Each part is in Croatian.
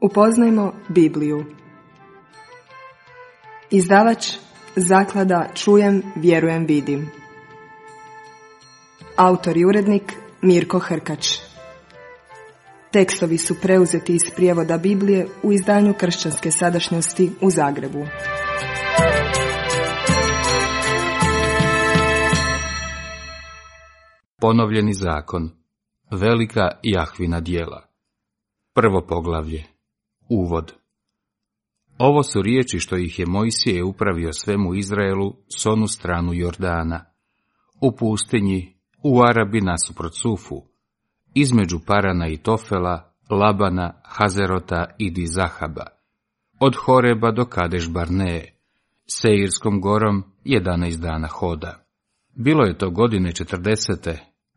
Upoznajmo Bibliju. Izdavač Zaklada Čujem, vjerujem, vidim. Autor i urednik Mirko Hrkač. Tekstovi su preuzeti iz prijevoda Biblije u izdanju Kršćanske sadašnjosti u Zagrebu. Ponovljeni zakon. Velika Jahvina djela. Prvo poglavlje. Uvod. Ovo su riječi što ih je Mojsije upravio svemu Izraelu s onu stranu Jordana, u pustinji, u Arabi nasuprot Sufu, između Parana i Tofela, Labana, Hazerota i Dizahaba, od Horeba do Kadeš Barneje, Seirskom gorom 11 dana hoda. Bilo je to godine 40.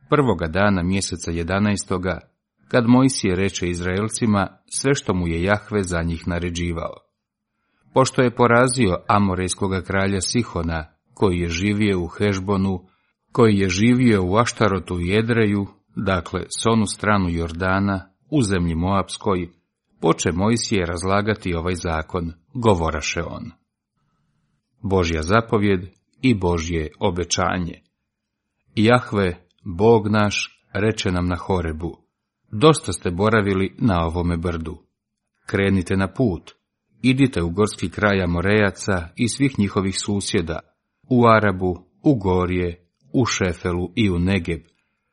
prvoga dana mjeseca 11. kad Mojsije reče Izraelcima sve što mu je Jahve za njih naređivao. Pošto je porazio Amorejskoga kralja Sihona, koji je živio u Hešbonu, koji je živio u Aštarotu i Edreju, dakle s onu stranu Jordana, u zemlji Moapskoj, poče Mojsije razlagati ovaj zakon, govoraše on. Božja zapovjed i Božje obećanje. Jahve, Bog naš, reče nam na Horebu: dosta ste boravili na ovome brdu. Krenite na put, idite u gorski kraj Amorejaca i svih njihovih susjeda, u Arabu, u Gorje, u Šefelu i u Negeb,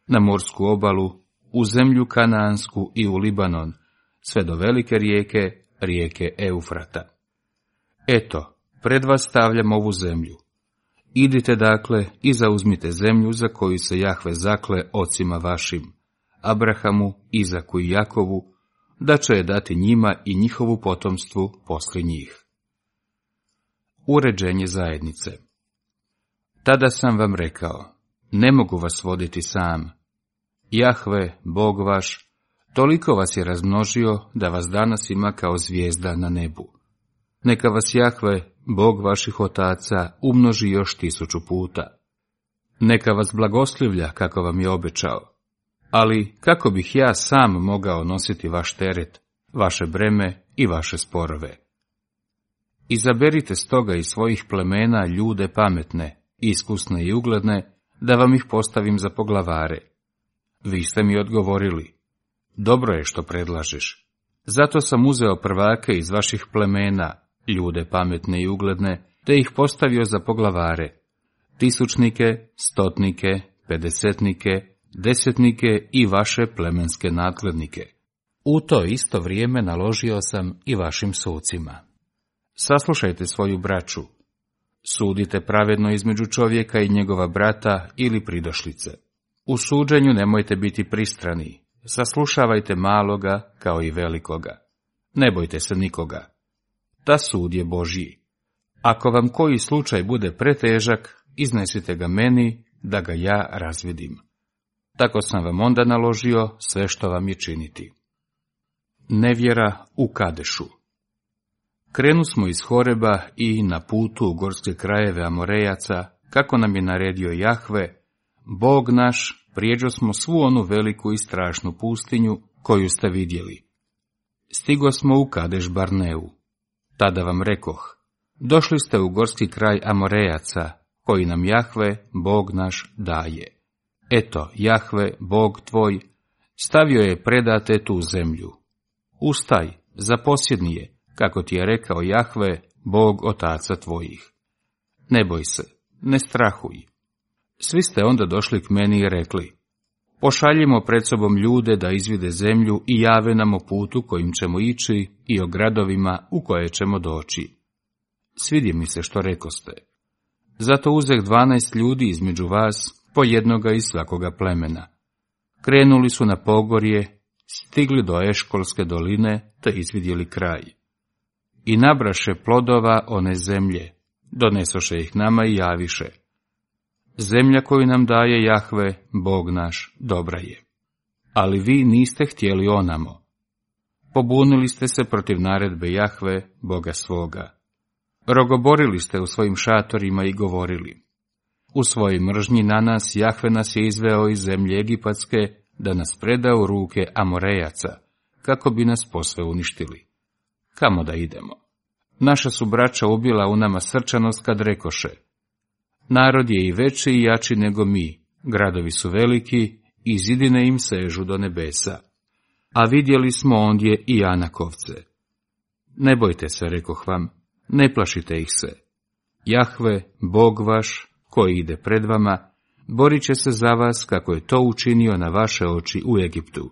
na morsku obalu, u zemlju Kanaansku i u Libanon, sve do velike rijeke, rijeke Eufrata. Eto, pred vas stavljam ovu zemlju. Idite dakle i zauzmite zemlju za koju se Jahve zakle ocima vašim, Abrahamu, Izaku i Jakovu, da će je dati njima i njihovu potomstvu poslije njih. Uređenje zajednice. Tada sam vam rekao, ne mogu vas voditi sam. Jahve, Bog vaš, toliko vas je razmnožio da vas danas ima kao zvijezda na nebu. Neka vas Jahve, Bog vaših otaca, umnoži još 1000 puta. Neka vas blagoslivlja kako vam je obećao. Ali kako bih ja sam mogao nositi vaš teret, vaše breme i vaše sporove? Izaberite stoga iz svojih plemena ljude pametne, iskusne i ugledne, da vam ih postavim za poglavare. Vi ste mi odgovorili: dobro je što predlažeš. Zato sam uzeo prvake iz vaših plemena, ljude pametne i ugledne, te ih postavio za poglavare, 1000-nike, 100-nike, 50-nike, 10-nike i vaše plemenske nadglednike. U to isto vrijeme naložio sam i vašim sucima: saslušajte svoju braću, sudite pravedno između čovjeka i njegova brata ili pridošlice. U suđenju nemojte biti pristrani, saslušavajte maloga kao i velikoga. Ne bojte se nikoga. Ta sud je Božji. Ako vam koji slučaj bude pretežak, iznesite ga meni, da ga ja razvidim. Tako sam vam onda naložio sve što vam je činiti. Nevjera u Kadešu. Krenu smo iz Horeba i na putu u gorske krajeve Amorejaca, kako nam je naredio Jahve, Bog naš, prijeđo smo svu onu veliku i strašnu pustinju koju ste vidjeli. Stigo smo u Kadeš Barneu. Tada vam rekoh: došli ste u gorski kraj Amorejaca, koji nam Jahve, Bog naš, daje. Eto, Jahve, Bog tvoj, stavio je predate tu zemlju. Ustaj, zaposjedni je, kako ti je rekao Jahve, Bog otaca tvojih. Ne boj se, ne strahuj. Svi ste onda došli k meni i rekli: pošaljimo pred sobom ljude da izvide zemlju i jave nam o putu kojim ćemo ići i o gradovima u koje ćemo doći. Svidi mi se što rekoste. Zato uzeh 12 ljudi između vas, po jednoga iz svakoga plemena. Krenuli su na pogorje, stigli do Eškolske doline, te izvidjeli kraj. I nabraše plodova one zemlje, donesoše ih nama i javiše: zemlja koju nam daje Jahve, Bog naš, dobra je. Ali vi niste htjeli onamo. Pobunili ste se protiv naredbe Jahve, Boga svoga. Rogoborili ste u svojim šatorima i govorili: u svojoj mržnji na nas Jahve nas je izveo iz zemlje Egipatske, da nas preda u ruke Amorejaca, kako bi nas posve uništili. kamo da idemo? Naša su braća ubila u nama srčanost kad rekoše, narod je i veći i jači nego mi, gradovi su veliki i zidine im sežu do nebesa. A vidjeli smo ondje i Anakovce. Ne bojte se, rekoh vam, ne plašite ih se. Jahve, Bog vaš, koji ide pred vama, borit će se za vas kako je to učinio na vaše oči u Egiptu.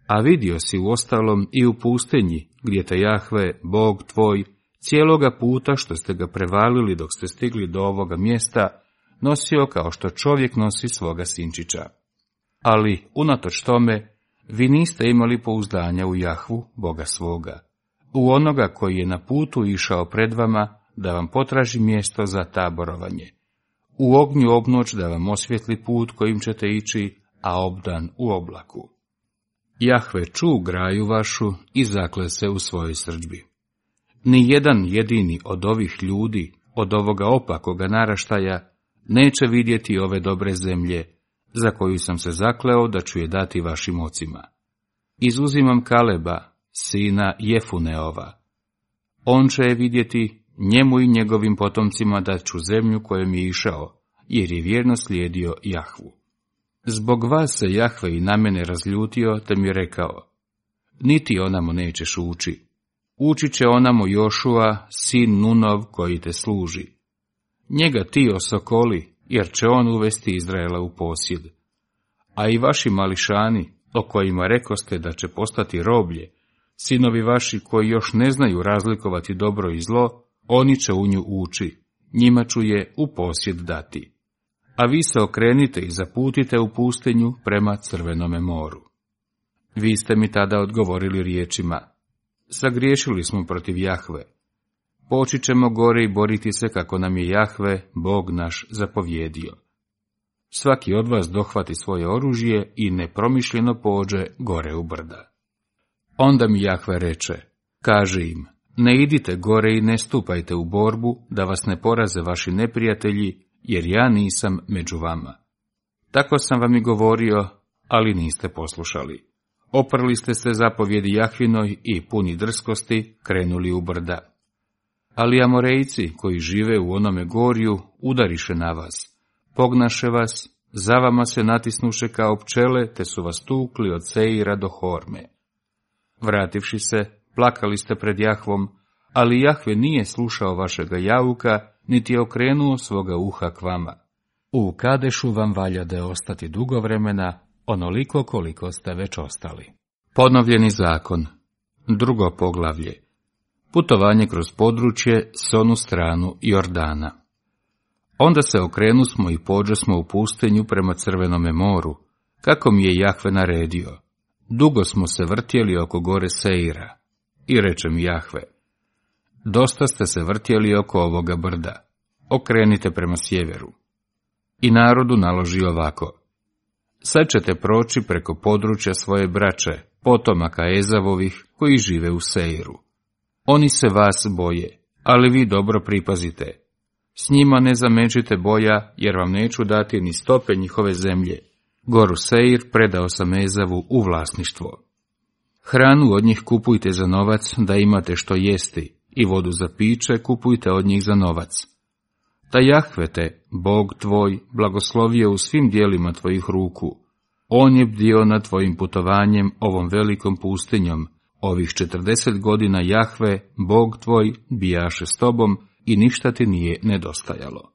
A vidio si uostalom i u pustinji, gdje te Jahve, Bog tvoj, cijeloga puta što ste ga prevalili dok ste stigli do ovoga mjesta, nosio kao što čovjek nosi svoga sinčića. Ali, unatoč tome, vi niste imali pouzdanja u Jahvu, Boga svoga, u onoga koji je na putu išao pred vama, da vam potraži mjesto za taborovanje, u ognju obnoć da vam osvijetli put kojim ćete ići, a obdan u oblaku. Jahve ču graju vašu i zakle se u svojoj srdžbi. Ni jedan jedini od ovih ljudi, od ovoga opakoga naraštaja, neće vidjeti ove dobre zemlje, za koju sam se zakleo da ću je dati vašim ocima. Izuzimam Kaleba, sina Jefuneova. On će je vidjeti, njemu i njegovim potomcima dat ću zemlju kojom je išao, jer je vjerno slijedio Jahvu. Zbog vas se Jahve i na mene razljutio, te mi je rekao, niti onamo nećeš ući. Ući će onamo Jošua, sin Nunov, koji te služi. Njega ti osokoli, jer će on uvesti Izraela u posjed. A i vaši mališani, o kojima rekoste da će postati roblje, sinovi vaši koji još ne znaju razlikovati dobro i zlo, oni će u nju ući, njima ću je u posjed dati. A vi se okrenite i zaputite u pustinju prema Crvenome moru. Vi ste mi tada odgovorili riječima, sagriješili smo protiv Jahve. Poći ćemo gore i boriti se kako nam je Jahve, Bog naš, zapovjedio. Svaki od vas dohvati svoje oružje i nepromišljeno pođe gore u brda. Onda mi Jahve reče, kaži im, ne idite gore i ne stupajte u borbu, da vas ne poraze vaši neprijatelji, jer ja nisam među vama. Tako sam vam i govorio, ali niste poslušali. Oprli ste se zapovjedi Jahvinoj i puni drskosti krenuli u brda. Ali Amorejci, koji žive u onome gorju, udariše na vas, pognaše vas, za vama se natisnuše kao pčele, te su vas tukli od Seira do Horme. Vrativši se, plakali ste pred Jahvom, ali Jahve nije slušao vašega jauka, niti je okrenuo svoga uha k vama. U Kadešu vam valjade ostati dugo vremena, onoliko koliko ste već ostali. Ponovljeni zakon. Drugo poglavlje. Putovanje kroz područje s onu stranu Jordana. Onda se okrenusmo i pođosmo u pustinju prema Crvenome moru, kako mi je Jahve naredio. Dugo smo se vrtjeli oko gore Seira. I reče mi Jahve, dosta ste se vrtjeli oko ovoga brda, okrenite prema sjeveru. I narodu naloži ovako, sad ćete proći preko područja svoje braće, potomaka Ezavovih, koji žive u Seiru. Oni se vas boje, ali vi dobro pripazite. S njima ne zameđite boja, jer vam neću dati ni stope njihove zemlje. Goru Seir predao sam Ezavu u vlasništvo. Hranu od njih kupujte za novac, da imate što jesti, i vodu za piće kupujte od njih za novac. Da Jahve te, Bog tvoj, blagoslovio u svim dijelima tvojih ruku. On je bdio nad tvojim putovanjem ovom velikom pustinjom. Ovih 40 godina Jahve, Bog tvoj, bijaše s tobom i ništa ti nije nedostajalo.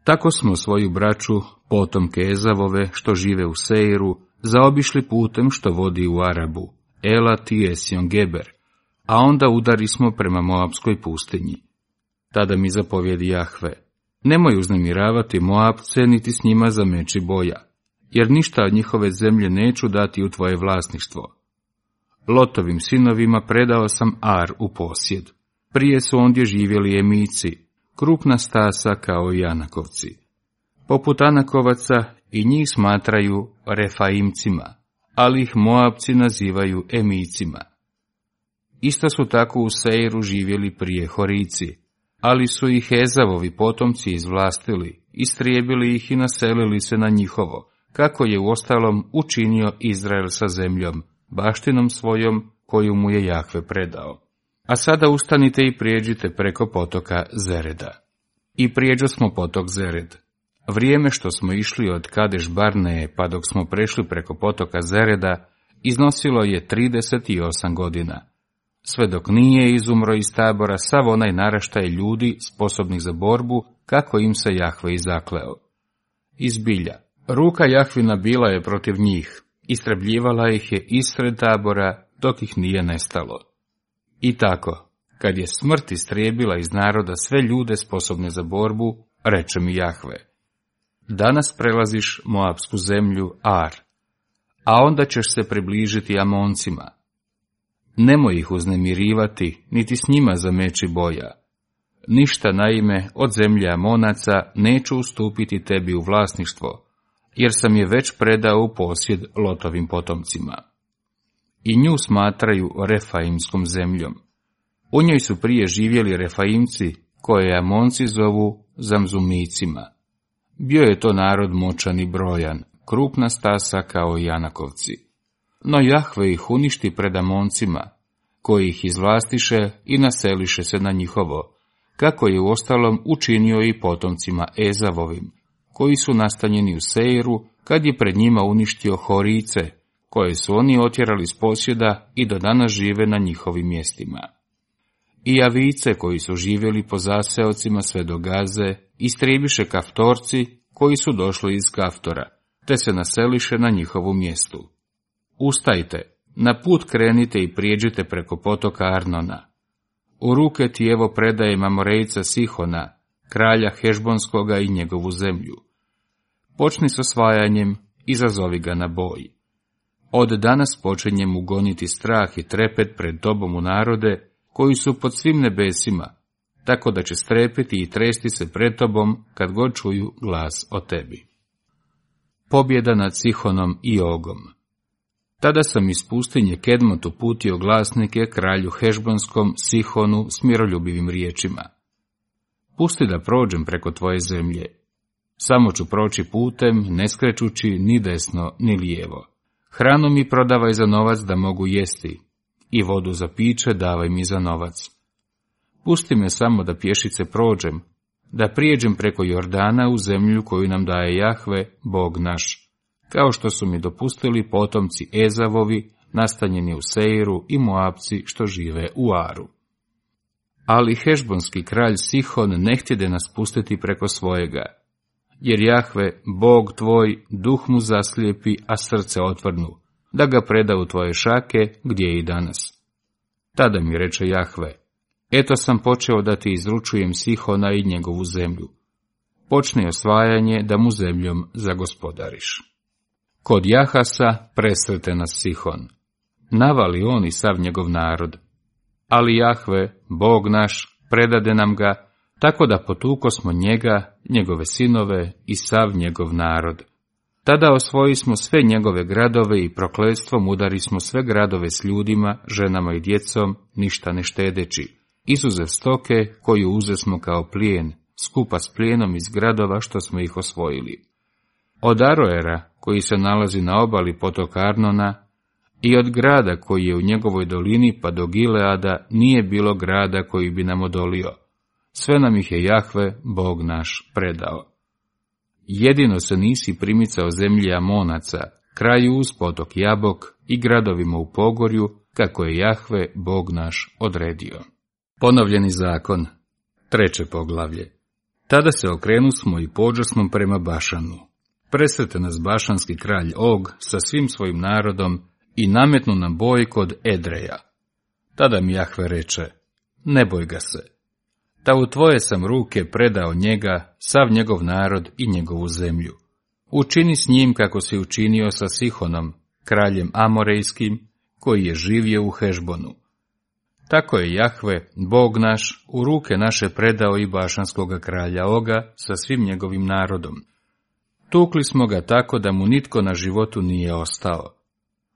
Tako smo svoju braću, potomke Ezavove, što žive u Seiru, zaobišli putem što vodi u Arabu, Elat i Esion Geber, a onda udari smo prema Moabskoj pustinji. Tada mi zapovjedi Jahve, nemoj uznemiravati Moabce, niti s njima zameći boja, jer ništa od njihove zemlje neću dati u tvoje vlasništvo. Lotovim sinovima predao sam Ar u posjed. Prije su ondje živjeli Emici, krupna stasa kao i Anakovci. Poput Anakovaca i njih smatraju Refaimcima, ali ih Moabci nazivaju Emicima. Isto su tako u Seiru živjeli prije Horici, ali su ih Ezavovi potomci izvlastili, istrijebili ih i naselili se na njihovo, kako je uostalom učinio Izrael sa zemljom, baštinom svojom koju mu je Jahve predao. A sada ustanite i prijeđite preko potoka Zereda. I prijeđo smo potok Zered. Vrijeme što smo išli od Kadeš Barneje pa dok smo prešli preko potoka Zereda, iznosilo je 38 godina. Sve dok nije izumro iz tabora sav onaj naraštaj ljudi sposobnih za borbu, kako im se Jahve i zakleo. Izbilja, ruka Jahvina bila je protiv njih, istrebljivala ih je ispred tabora, dok ih nije nestalo. I tako, kad je smrt istrijebila iz naroda sve ljude sposobne za borbu, reče mi Jahve: danas prelaziš Moabsku zemlju Ar, a onda ćeš se približiti Amoncima. Nemoj ih uznemirivati, niti s njima zameći boja. Ništa naime od zemlje Amonaca neću ustupiti tebi u vlasništvo, jer sam je već predao u posjed Lotovim potomcima. I nju smatraju Refaimskom zemljom. U njoj su prije živjeli Refaimci, koje Amonci zovu Zamzumicima. Bio je to narod moćan i brojan, krupna stasa kao i Anakovci. No Jahve ih uništi pred Amoncima, koji ih izvlastiše i naseliše se na njihovo, kako je uostalom učinio i potomcima Ezavovim, koji su nastanjeni u Seiru, kad je pred njima uništio Horice, koje su oni otjerali s posjeda i do danas žive na njihovim mjestima. I Avice, koji su živjeli po zaseocima sve do Gaze, istrebiše Kaftorci, koji su došli iz Kaftora, te se naseliše na njihovu mjestu. Ustajte, na put krenite i prijeđite preko potoka Arnona. U ruke ti evo predajem Amorejca Sihona, kralja Hešbonskoga i njegovu zemlju. Počni s osvajanjem, izazovi ga na boj. Od danas počinjem ugoniti strah i trepet pred tobom u narode, koji su pod svim nebesima, tako da će strepiti i tresti se pred tobom kad god čuju glas o tebi. Pobjeda nad Sihonom i Ogom. Tada sam iz pustinje Kedmot uputio glasnike kralju Hešbonskom Sihonu s miroljubivim riječima: pusti da prođem preko tvoje zemlje. Samo ću proći putem, ne skrećući ni desno ni lijevo. Hranu mi prodavaj za novac da mogu jesti, i vodu za piće davaj mi za novac. Pusti me samo da pješice prođem, da prijeđem preko Jordana u zemlju koju nam daje Jahve, Bog naš, kao što su mi dopustili potomci Ezavovi, nastanjeni u Seiru, i Moabci što žive u Aru. Ali Hešbonski kralj Sihon ne htjede nas pustiti preko svojega, jer Jahve, Bog tvoj, duh mu zaslijepi, a srce otvrnu, da ga preda u tvoje šake, gdje je i danas. Tada mi reče Jahve: eto sam počeo da ti izručujem Sihona i njegovu zemlju. Počni osvajanje da mu zemljom zagospodariš. Kod Jahasa presrete nas Sihon. Navali on i sav njegov narod. Ali Jahve, Bog naš, predade nam ga, tako da potuko smo njega, njegove sinove i sav njegov narod. Tada osvoji smo sve njegove gradove i prokletstvom udari smo sve gradove s ljudima, ženama i djecom, ništa ne štedeći, izuzev stoke koju uzesmo kao plijen, skupa s plijenom iz gradova što smo ih osvojili. Od Aroera, koji se nalazi na obali potoka Arnona, i od grada koji je u njegovoj dolini pa do Gileada nije bilo grada koji bi nam odolio. Sve nam ih je Jahve, Bog naš, predao. Jedino se nisi primicao zemlji Amonaca, kraju uz potok Jabok i gradovima u pogorju, kako je Jahve, Bog naš, odredio. Ponovljeni zakon, 3. poglavlje. Tada se okrenusmo i pođosmo prema Bašanu. Presrete nas bašanski kralj Og sa svim svojim narodom i nametnu nam boj kod Edreja. Tada mi Jahve reče: ne boj ga se. Ta u tvoje sam ruke predao njega, sav njegov narod i njegovu zemlju. Učini s njim kako si učinio sa Sihonom, kraljem Amorejskim, koji je živio u Hešbonu. Tako je Jahve, Bog naš, u ruke naše predao i bašanskoga kralja Oga sa svim njegovim narodom. Tukli smo ga tako da mu nitko na životu nije ostao.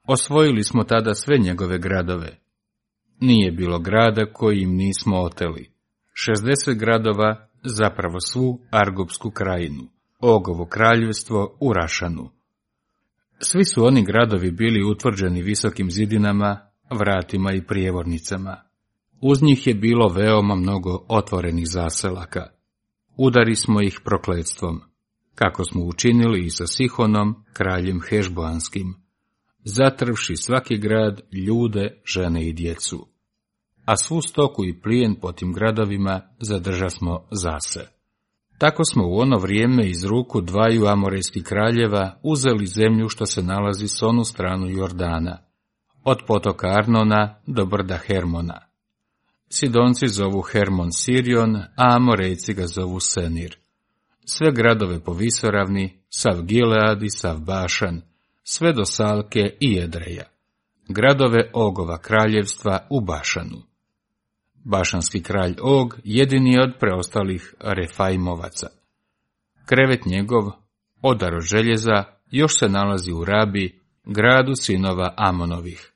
Osvojili smo tada sve njegove gradove. Nije bilo grada koji im nismo oteli. 60 gradova, zapravo svu Argopsku krajinu, Ogovo kraljevstvo u Rašanu. Svi su oni gradovi bili utvrđeni visokim zidinama, vratima i prijevornicama. Uz njih je bilo veoma mnogo otvorenih zaselaka. Udari smo ih prokletstvom, kako smo učinili i sa Sihonom, kraljem Hešboanskim, zatrvši svaki grad, ljude, žene i djecu. A svu stoku i plijen po tim gradovima zadržasmo zase. Tako smo u ono vrijeme iz ruku dvaju amorejskih kraljeva uzeli zemlju što se nalazi s onu stranu Jordana, od potoka Arnona do brda Hermona. Sidonci zovu Hermon Sirion, a Amorejci ga zovu Senir. Sve gradove po visoravni, sav Gilead i sav Bašan, sve do Salke i Edreja. Gradove Ogova kraljevstva u Bašanu. Bašanski kralj Og jedini je od preostalih Refaimovaca. Krevet njegov, odar od željeza, još se nalazi u Rabi, gradu sinova Amonovih.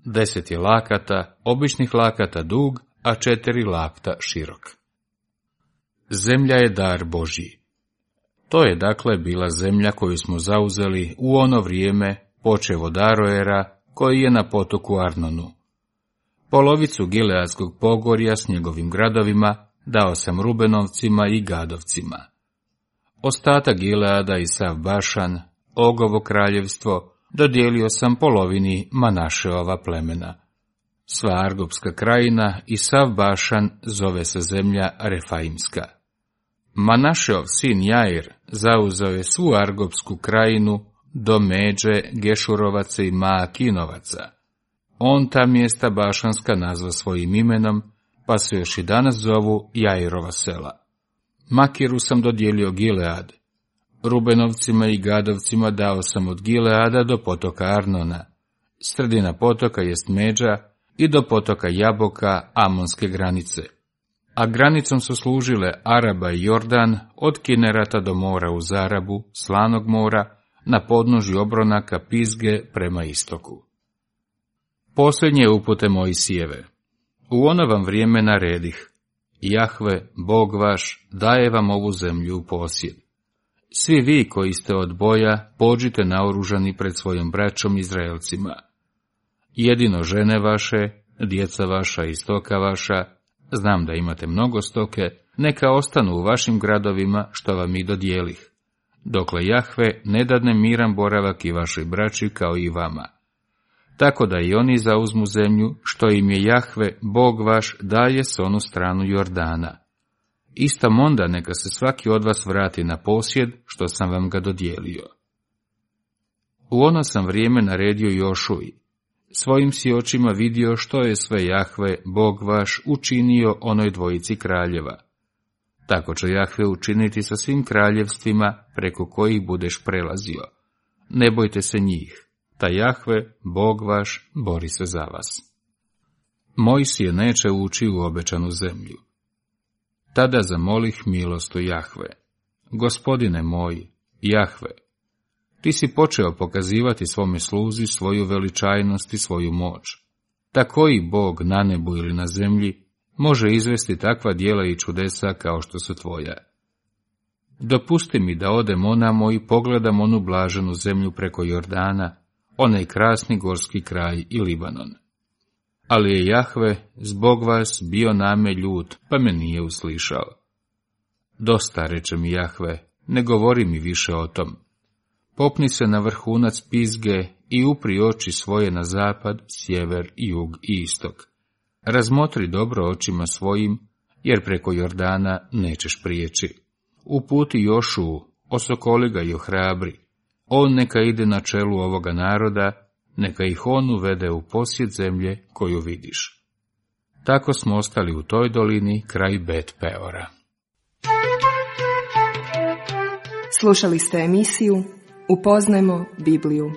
10 je lakata, običnih lakata dug, a 4 lakta širok. Zemlja je dar Božji. To je dakle bila zemlja koju smo zauzeli u ono vrijeme, počev od Aroera, koji je na potoku Arnonu. Polovicu Gileadskog pogorja s njegovim gradovima dao sam Rubenovcima i Gadovcima. Ostatak Gileada i sav Bašan, Ogovo kraljevstvo, dodijelio sam polovini Manašeova plemena. Sva Argopska krajina i sav Bašan zove se zemlja Refaimska. Manašeov sin Jair zauzeo je svu Argopsku krajinu do međe Gešurovaca i Maakinovaca. On ta mjesta Bašanska nazva svojim imenom, pa se još i danas zovu Jairova sela. Makiru sam dodijelio Gilead. Rubenovcima i Gadovcima dao sam od Gileada do potoka Arnona. Sredina potoka jest međa i do potoka Jaboka Amonske granice. A granicom su služile Araba i Jordan od Kinerata do mora uz Arabu, Slanog mora, na podnožju obronaka Pizge prema istoku. Posljednje upute Mojsijeve. U ono vam vrijeme naredih: Jahve, Bog vaš, daje vam ovu zemlju u posjed. Svi vi koji ste od boja, pođite naoružani pred svojom braćom Izraelcima. Jedino žene vaše, djeca vaša i stoka vaša, znam da imate mnogo stoke, neka ostanu u vašim gradovima što vam i dodijelih, dokle Jahve ne dadne miran boravak i vašoj braći kao i vama. Tako da i oni zauzmu zemlju što im je Jahve, Bog vaš, daje s onu stranu Jordana. Istom onda neka se svaki od vas vrati na posjed što sam vam ga dodijelio. U ono sam vrijeme naredio Jošuji. Svojim si očima vidio što je sve Jahve, Bog vaš, učinio onoj dvojici kraljeva. Tako će Jahve učiniti sa svim kraljevstvima preko kojih budeš prelazio. Ne bojte se njih, ta Jahve, Bog vaš, bori se za vas. Mojsije neće ući u obećanu zemlju. Tada zamolih milost u Jahve. Gospodine moj, Jahve, ti si počeo pokazivati svome sluzi svoju veličajnost i svoju moć. Ta koji Bog na nebu ili na zemlji može izvesti takva djela i čudesa kao što su tvoja. Dopusti mi da odem onamo i pogledam onu blaženu zemlju preko Jordana, onaj krasni gorski kraj i Libanon. Ali je Jahve zbog vas bio name ljut, pa me nije uslišao. Dosta, reče mi Jahve, ne govori mi više o tom. Popni se na vrhunac Pizge i upri oči svoje na zapad, sjever, jug i istok. Razmotri dobro očima svojim, jer preko Jordana nećeš prijeći. Uputi Jošuu, osokoli ga i ohrabri. On neka ide na čelu ovoga naroda, neka ih on uvede u posjed zemlje koju vidiš. Tako smo ostali u toj dolini kraj Bet Peora. Slušali ste emisiju Upoznajmo Bibliju.